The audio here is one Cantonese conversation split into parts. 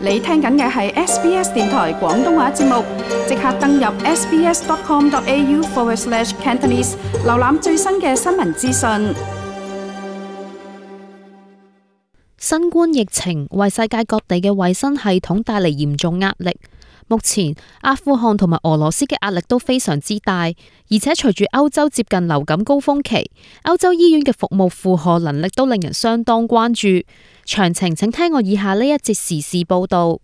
你聽緊嘅係 SBS 電台廣東話節目，即刻登入 sbs.com.au/Cantonese 瀏覽最新嘅新聞資訊。新冠疫情為世界各地嘅衛生系統帶嚟嚴重壓力。目前阿富汗同埋俄羅斯嘅壓力都非常之大，而且隨住歐洲接近流感高峰期，歐洲醫院嘅服務負荷能力都令人相當關注。詳情請聽我以下呢一節時事報道。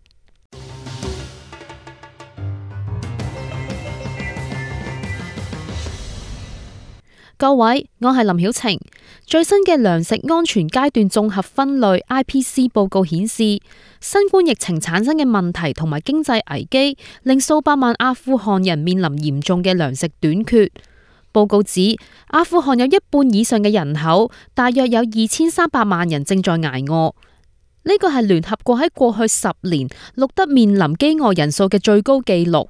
各位，我係林曉晴。最新嘅糧食安全階段綜合分類 IPC 報告顯示，新冠疫情產生嘅問題同埋經濟危機，令數百萬阿富汗人面臨嚴重嘅糧食短缺。報告指，阿富汗有一半以上嘅人口，大約有2300萬人正在捱餓。呢個係聯合國喺過去10年錄得面臨飢餓人數嘅最高紀錄。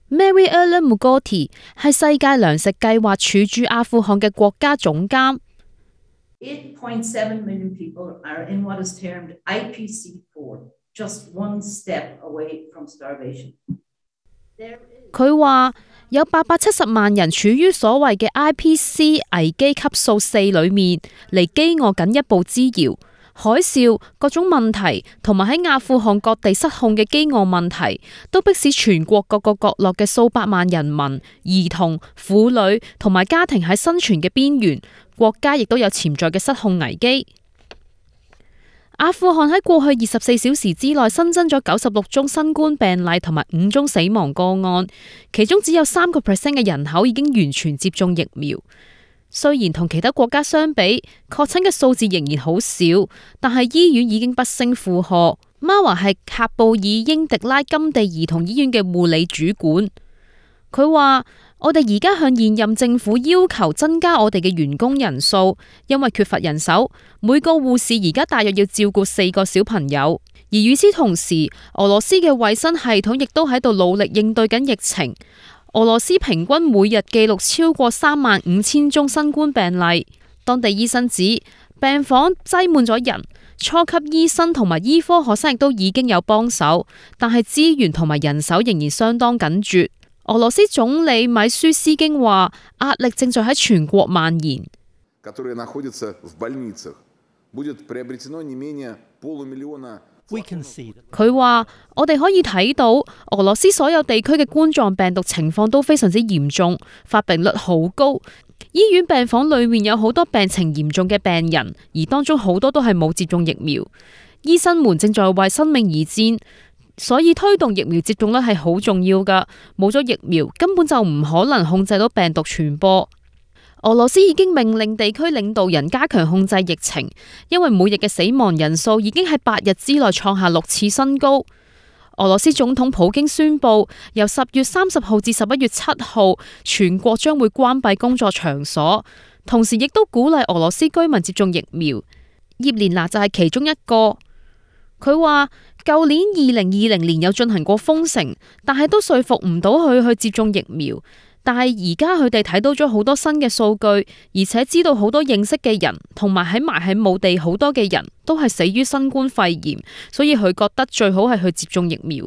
Mary-Ellen Mogoti 係世界糧食計劃處駐阿富汗嘅國家總監。8.7 million people are in what is termed IPC4, just one step away from starvation. 佢話有870萬人處於所謂嘅 IPC 危機級數4裏面，離飢餓僅一步之遙。海嘯、各種問題同埋喺阿富汗各地失控嘅飢餓問題，都迫使全國各個角落嘅數百萬人民、兒童、婦女同埋家庭喺生存嘅邊緣。國家亦都有潛在嘅失控危機。阿富汗喺過去24小時之內新增咗96宗新冠病例同埋5宗死亡個案，其中只有3% 嘅人口已經完全接種疫苗。雖然同其他國家相比，確診嘅數字仍然好少，但係醫院已經不勝負荷。Marwa係喀布爾英迪拉金地兒童醫院嘅護理主管，佢話：我哋而家向現任政府要求增加我哋嘅員工人數，因為缺乏人手。每個護士而家大約要照顧4個小朋友。而與此同時，俄羅斯嘅衛生系統亦都喺度努力應對緊疫情。俄羅斯平均每日記錄超過35000宗新冠病例。當地醫生指病房擠滿咗人，初級醫生同埋醫科學生亦都已經有幫手，但係資源同埋人手仍然相當緊絀。俄羅斯總理米舒斯京話，壓力正在喺全國蔓延。佢話：我哋可以睇到俄羅斯所有地區嘅冠狀病毒情況都非常之嚴重，發病率好高。醫院病房裏面有好多病情嚴重嘅病人，而當中好多都係冇接種疫苗。醫生們正在為生命而戰，所以推動疫苗接種率係好重要㗎。冇咗疫苗，根本就唔可能控制到病毒傳播。俄羅斯已經命令地區領導人加強控制疫情，因為每日嘅死亡人數已經喺8日之內創下6次新高。俄羅斯總統普京宣布，由10月30號至11月7號，全國將會關閉工作場所，同時亦都鼓勵俄羅斯居民接種疫苗。葉蓮娜就係其中一個。佢話：舊年2020年有進行過封城，但係都說服唔到佢去接種疫苗。但係而家佢哋睇到咗好多新嘅數據，而且知道好多認識嘅人同埋埋喺墓地好多嘅人都係死於新冠肺炎，所以佢覺得最好係去接種疫苗。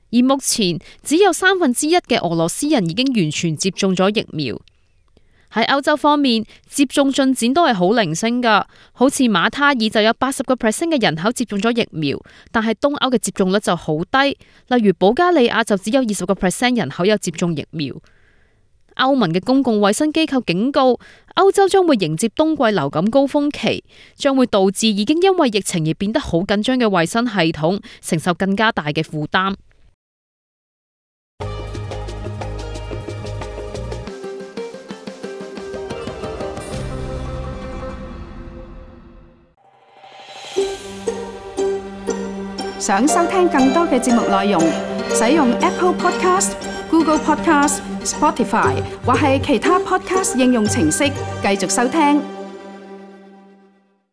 而目前只有1/3嘅俄羅斯人已經完全接種咗疫苗。喺歐洲方面，接種進展都係好零星㗎，好似馬他爾就有80% 嘅人口接種咗疫苗，但係東歐嘅接種率就好低，例如保加利亞就只有20% 人口有接種疫苗。歐盟嘅公共衛生機構警告，歐洲將會迎接冬季流感高峰期，將會導致已經因為疫情而變得好緊張嘅衛生系統承受更加大嘅負擔。想收聽更多嘅節目內容，使用 Apple Podcast、Google Podcast、Spotify 或係其他 Podcast 應用程式繼續收聽。